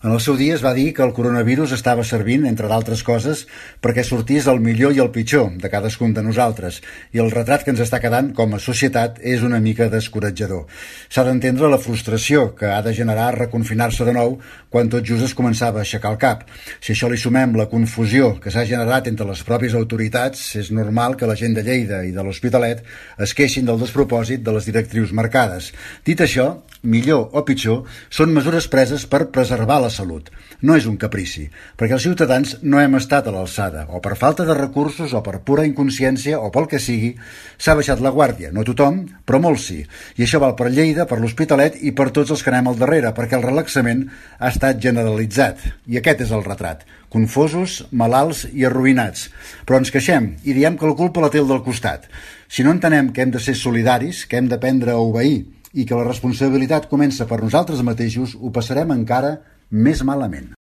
En el seu dia es va dir que el coronavirus estava servint, entre d'altres coses, perquè sortís el millor i el pitjor de cadascun de nosaltres, i el retrat que ens està quedant com a societat és una mica descoratjador. S'ha d'entendre la frustració que ha de generar reconfinar-se de nou quan tot just es començava a aixecar el cap. Si això li sumem la confusió que s'ha generat entre les pròpies autoritats, és normal que la gent de Lleida i de l'Hospitalet es queixin del despropòsit de les directrius marcades. Dit això, millor o pitjor, són mesures preses per preservar la salut. No és un caprici, perquè els ciutadans no hem estat a l'alçada, o per falta de recursos, o per pura inconsciència, o pel que sigui, s'ha baixat la guàrdia. No tothom, però molts sí. I això val per Lleida, per l'Hospitalet i per tots els que anem al darrere, perquè el relaxament ha estat generalitzat. I aquest és el retrat. Confosos, malalts i arruïnats. Però ens queixem i diem que la culpa la té el del costat. Si no entenem que hem de ser solidaris, que hem d'aprendre a obeir i que la responsabilitat comença per nosaltres mateixos, ho passarem encara més malament.